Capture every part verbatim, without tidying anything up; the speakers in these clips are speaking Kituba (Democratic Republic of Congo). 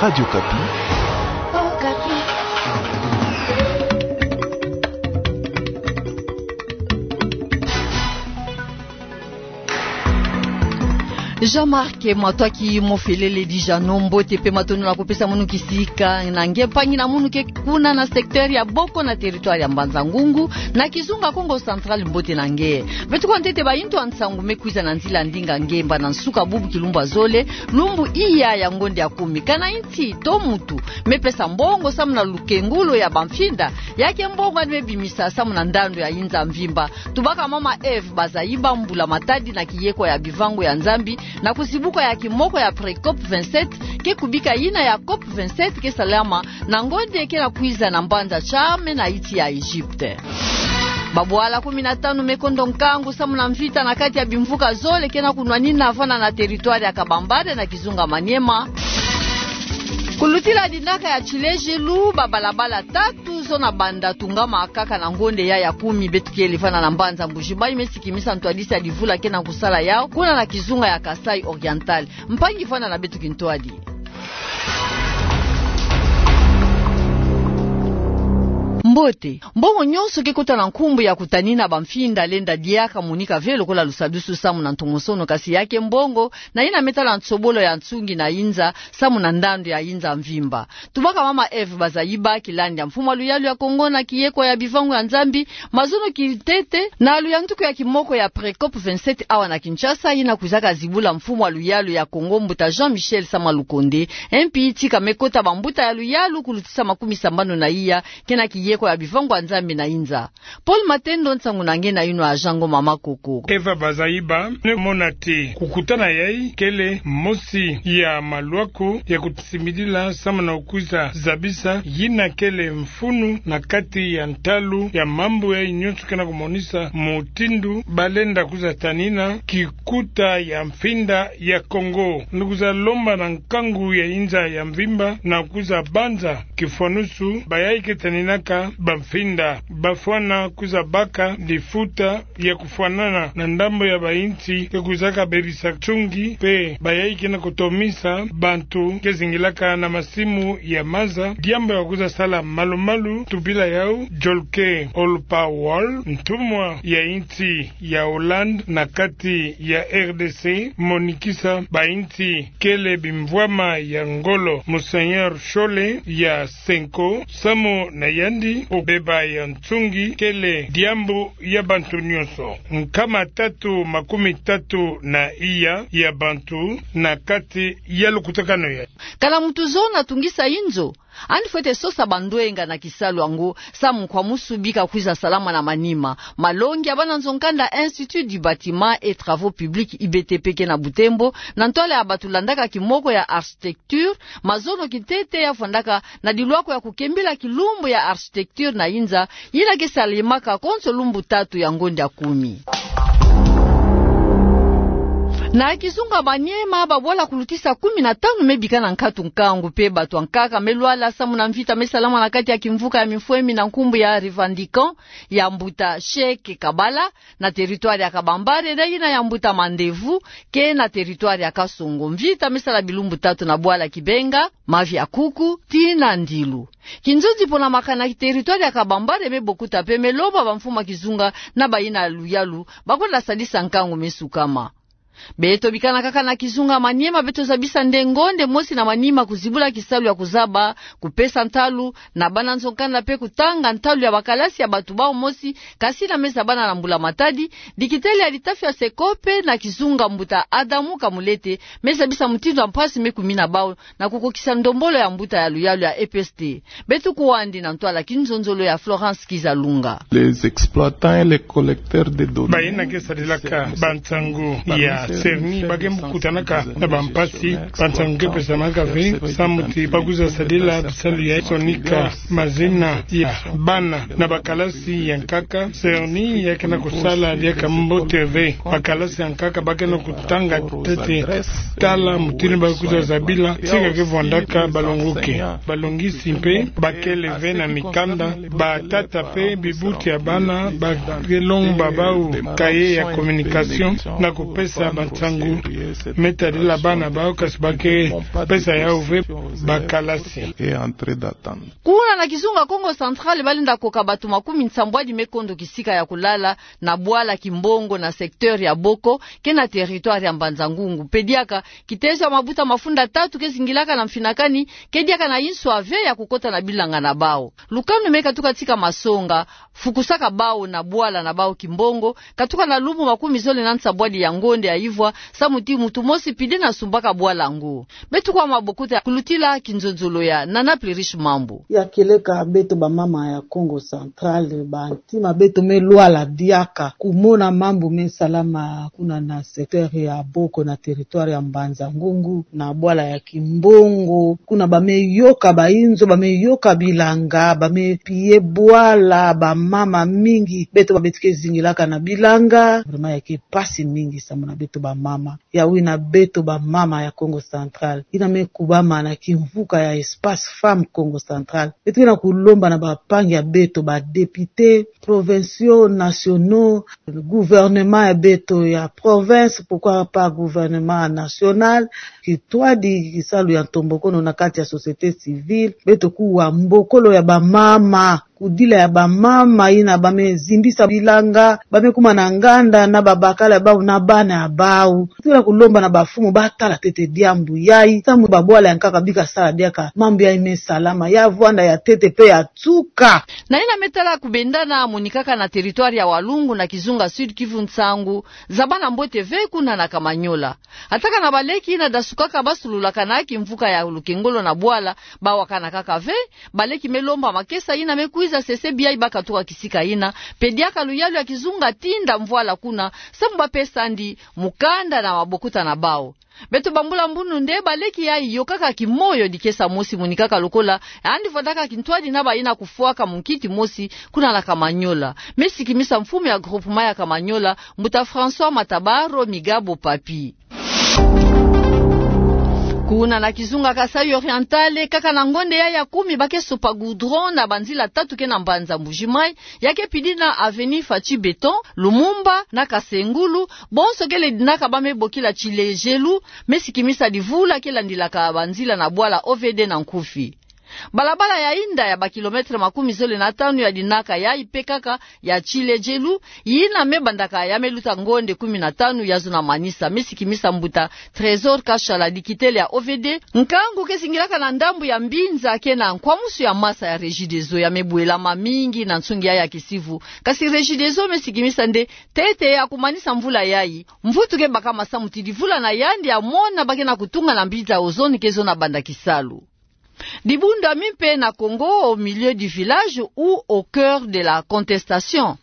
Radio Okapi. Jean-Marc Matwaki Mofelele Dijano, mbote pe matondo na kupesa munu kisika na nge mpangi na munu ke kuna na secteur ya Boko na territoire ya Mbanza-Ngungu, na kizunga Kongo Central, mbote na nge. Beto kwa ntete ba intu ya nsangu me kwiza na nzila ndinga ngemba na nsuka bubu kilumbu ya zole, lumbu iya ya ngonde ya kumi. Kana inti to muntu me pesa mbongo samu na lukengulu ya bamfinda, ya ke mbongo ani me bimisa samu na ndandu ya inza mvimba. Tubaka mama Eve Bazaiba, mbula-matadi na kiyeko ya bivangu ya Nzambi, na kuzibuka ya kimoko ya pré-COP vingt-sept, ke kubika yina ya COP vingt-sept ke salama na ngonde ke na kwiza na mbanza Sharm na inti ya Egypte. Babwala kumi na tanu me kondo nkangu samu na mvita na kati ya bimvuka zole ke na kunwanina vana na territoire ya Kabambare na kizunga Maniema. Kulutila dinaka ya tilejilu, babalabala tatu zona banda tungama kaka na ngonde ya ya kumi beto kele vana na mbanza Mbuji-Mayi me sikimisa ntwadisi ya divula ke na kusala yau kuna na kizunga ya Kasaï Oriental. Mpangi, vwanda na beto kintwadi. Mbote. Mbongo nyonso ke kota na nkumbu ya kutanina bamfinda lenda diaka monika ve lokola lusadusu samu na ntomosono, kasi ya ke mbongo na yina me tala nsobolo ya nsungi na inza samu na ndandu ya inza mvimba. Tubaka mama Eve Bazaiba, kilandi ya mfumu wa luyalu ya Kongo na kiyeko ya bivangu ya Nzambi, mazono kintete na luyantuku ya kimoko ya pré-COP vingt-sept awa na Kinshasa, yina kwizaka zibula mfumu wa luyalu ya Kongo, mbuta Jean-Michel Sama Lukonde, M P, tika me kota bambuta ya luyalu kulutisa makumi sambanu na iya ke na kiyeko ya bivangu ya Nzambi na inza. Paul Matendo, nsangu na nge na yinu, agent Ngoma Makoko. Eve Bazaiba, ne mona ti kukutana yayi kele mosi ya malwaku ya kusimbidila samu na kwiza zabisa yina kele mfunu na kati ya ntalu ya mambu yayi nyonso ke na kumonisa mutindu balenda kwiza tanina kikuta ya mfinda ya Kongo. Ni kwiza lomba na nkangu ya inza ya mvimba na kwiza banza kifwanusu bayayi ke taninaka bamfinda, bafwana kwiza baka lifuta ya kufwanana na ndambu ya bainti ke kwizaka bebisa nsungi, pe bayayi ke na kutomisa bantu ke zingilaka na masimu ya maza, diambu ya kwiza sala malu-malu. Tubila yau Jolke Olpawal, ntumwa ya inti ya Hollande na kati ya R D C, monikisa bainti kele bimvwama ya ngolo, Monseigneur Shole ya Senko, samu na yandi obeba ya nsungi kele diambu ya bantu nyonso. Nkama tatu makumi tatu na iya ya bantu na kati ya lukutakanu yayi. Kana muntu zona tungisa inzo, ani fwete sosa bandwenga na kisalu yango, samu kwa musu bika kwiza salama na manima. Malongi ya bana nzo-nkanda Institut du Bâtiment et Travaux Publics, I B T P, ke na Butembo, na ntwala ya batu landaka kimoko ya architecture, mazono kintete ya vwandaka na dilwako ya kukembila kilumbu ya architecture na inza, yina ke salemaka konso lumbu tatu ya ngonde ya kumi. Na kizunga Maniema, babwala kulutisa kumi na tanu me bika na nkatu nkangu, pe batu ya nkaka me lwala samu na mvita me salama na kati ya kimvuka ya mifwemi na nkumbu ya Revendiquants ya mbuta Che Kabala, na territoire ya Kabambare, na yina ya mbuta Mandevu, ke na territoire ya Kasongo. Mvita me sala bilumbu tatu na bwala Kibenga, mavi ya kuku, tii na ndilu. Kinzonzi pona makana ki territoire ya Kabambare me bokuta pe me lomba bamfumu ya kizunga na bayina luyalu, bakwenda sadisa nkangu me sukama. Beto bikana kaka na kizunga Maniema, beto zabisa nde ngonde mosi na manima kuzibula kisalu ya kuzaba, kupesa ntalu na bana nzo-nkanda pe kutanga ntalu ya bakalasi ya batu bau mosi, kasi yina me zabana na mbula-matadi, dikitele ya litafi ya Secope na kizunga mbuta Adamu Kamulete, me zabisa mutindu ya mpasi me kumina bau, na kukokisa ndombolo ya mbuta ya luyalu ya E P S T. Beto kwandi na ntwala kinzonzolo ya Florence Kizalunga. Les exploitants et les collecteurs de données. Bayina ke sadilaka bansangu ya CERNI ba ke mbo kutanaka na bampasi, bansangu ke pesamaka ve, samu ti ba kwiza sadila bisalu ya sonika mazina ya bana na bakalasi ya nkaka. CERNI ya ke na kusala diaka mbote ve. Bakalasi ya nkaka ba ke na kutanga ntete tala mutindu ba kwiza zabila, tika ke vwandaka balongoke. Balongisi mpe ba kele ve na mikanda, batata mpe bibuti ya bana ba ke lomba bau cahier ya communication na kupesa Bansangu me tadila bana bau, kasi ba ke pesa yau ve bakalasi. Kuna na kizunga Kongo Central, balenda koka bato makumi nsambwadi me kondo kisika ya kulala na bwala Kimbongo na secteur ya Boko, ke na territoire ya Mbanza-Ngungu. Pe diaka, kitezo ya mabuta mafunda tatu ke zingilaka na mfinakani, ke diaka na inswa ve ya kukota na bilanga na bau. Lukanu me katuka tika masonga, fukusaka bau na bwala na bau Kimbongo, katuka na lumbu makumi zole na nsambwadi ya ngonde ya ivwa, samu ti muntu mosi pide na sumbaka bwala yango. Beto kwa mabokuta ya kulutila kinzonzolo ya Nana Plurish Mambu. Ya kieleka beto bamama ya Kongo Central, bantima beto me lwala diaka kumona mambu me salama kuna na secteur ya Boko na territoire ya Mbanza-Ngungu, na bwala ya Kimbongo. Kuna ba me yoka bainzo, ba me yoka bilanga, ba me piller bwala, bamama mingi, beto ba beto ke zingilaka na bilanga. Vraiment, ya ke pasi mingi samu na beto bamama. Ya wina beto bamama ya Kongo Central, yina me kubama na kimvuka ya Espace Femmes Kongo Central, beto ke na kulomba na bampangi ya beto, ba députés provinciaux, nationaux, gouvernement ya beto ya province, pourquoi pas gouvernement national, kintwadi, kisalu ya ntombokono na kati ya société civile, beto kuwa mbokolo ya bamama, kudila ya bamama yina ba me zimbisa bilanga, ba me kuma na nganda na babakala ya bau na bana ya bau. Tuna kulomba na bamfumu batala ntete diambu yayi, samu babwala ya nkaka bika sala diaka mambu yayi me salama, ya vwanda ya ntete pe ya tuka. Na yina me tala kubendana, monikaka na territoire ya Walungu na kizunga Sud-Kivu nsangu za bana mbote ve kuna na Kamanyola. Ataka na baleki yina dasukaka basululaka na kimvuka ya lukengolo na bwala, bawakanaka ve. Baleki me lomba makesa yina me kwiza sese biai bakatuka kisika yina, pe diaka luyalu ya kizunga tinda mvwala kuna, samu ba pesa ndi mukanda na mabokuta na bau. Beto bambula mbunu nde baleki yayi yokaka kimoyo dikesa mosi, monikaka lokola yandi vwandaka kintwadi na bayina kufwaka munkiti mosi kuna na Kamanyola. Me sikimisa mfumu ya groupement ya Kamanyola, mbuta François Matabaro Migabo Papi. Kuna na kizunga Kasaï Oriental, kaka na ngonde yayi ya kumi ba ke sopa goudron na banzila tatu ke na mbanza Mbuji-Mayi, ya ke pidi na avenue Fatshi Beton, Lumumba na Kasengulu, bonso ke ledinaka ba me bokila Tshilejelu. Me sikimisa divula ke landilaka banzila na bwala O V D na nkufi. Balabala ya inda ya ba kilomètre makumi zole na tanu ya dinaka yayi pe kaka ya Tshilejelu, yina me bandaka ya me luta ngonde kumi na tanu ya zona manisa. Me sikimisa mbuta Trésor Kashala, dikitele ya O V D. Nkangu ke zingilaka na ndambu ya mbinza ke na nkwamusu ya masa ya Regideso ya me bwelama mingi na nsungi ya ya kisivu. Kasi Regideso me sikimisa nde ntete ya kumanisa mvula yayi, mvutu ke bakama samu ti divula na yandi ya mona ba ke na kutunga na mbinza ozone ke zona banda kisalu. Dibundu ya mimpe na Congo, au milieu du village ou au cœur de la contestation.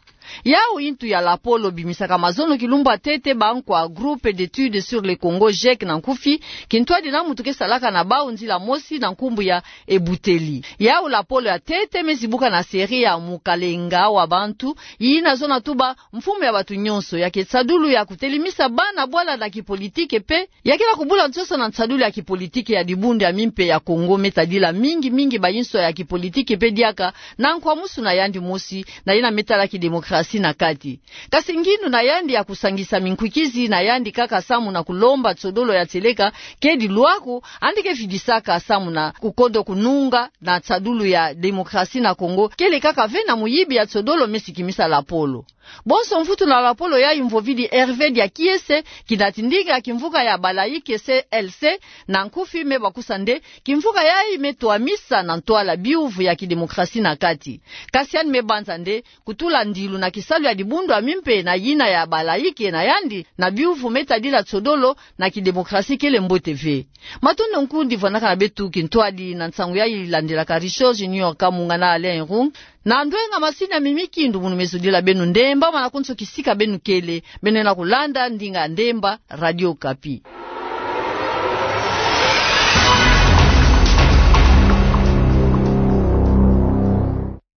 Yawu ntu ya lapolo bimisaka mazono kilumbu ya ntete ba nkwa Groupe d'études sur le Congo, GEC na nkufi, kintwadi na muntu ke salaka na bawu nzila mosi na nkumbu ya Ebuteli. Yawu lapolo ya ntete me zibuka na série ya Mukalenga wa bantu, yina zona tuba mfumu ya bantu nyonso, ya ke nsadulu ya kutelimisa bana bwala na kipolitike mpe ya ke na kubula nsosa na nsadulu ya kipolitike ya dibundu ya mimpe ya Congo, me tadila mingi mingi bayinswa ya kipolitike mpe diaka na nkwamusu na yandi mosi, na yina me tala kidemokrasi na kati. Kasi ngindu na yandi ya kusangisa minkwikizi na yandi kaka samu na kulomba nsodolo ya tieleka, kedi lwaku, yandi ke vidisaka samu na kukodo kununga na nsadulu ya demokrasi na Congo, kele kaka ve na muyibi ya nsodolo, me sikimisa lapolo. Bonso mvutu na lapolo yayi mvovidi Hervé Diakiese, kina tindinga ya kimvuka ya Balaïke C L C, na nkufi me bakusa nde kimvuka yayi me twamisa na ntwala biyuvu ya kidemokrasi na kati. Kasi yandi me banza nde kutula ndilu na kisalu ya dibundu ya mimpe na yina ya Balaïke na yandi na biyuvu me tadila nsodolo na kidemokrasi kele mbote ve. Matondo nkundi vwanakana beto kintwadi na nsangu yayi landilaka. Richard Junior Kamunga na Alain Rung na ndwenga masini ya Mimi Kindu, munu me zodila beno ndemba mana konso kisika beno kele, beno na kulanda ndinga ndemba, Radio Okapi.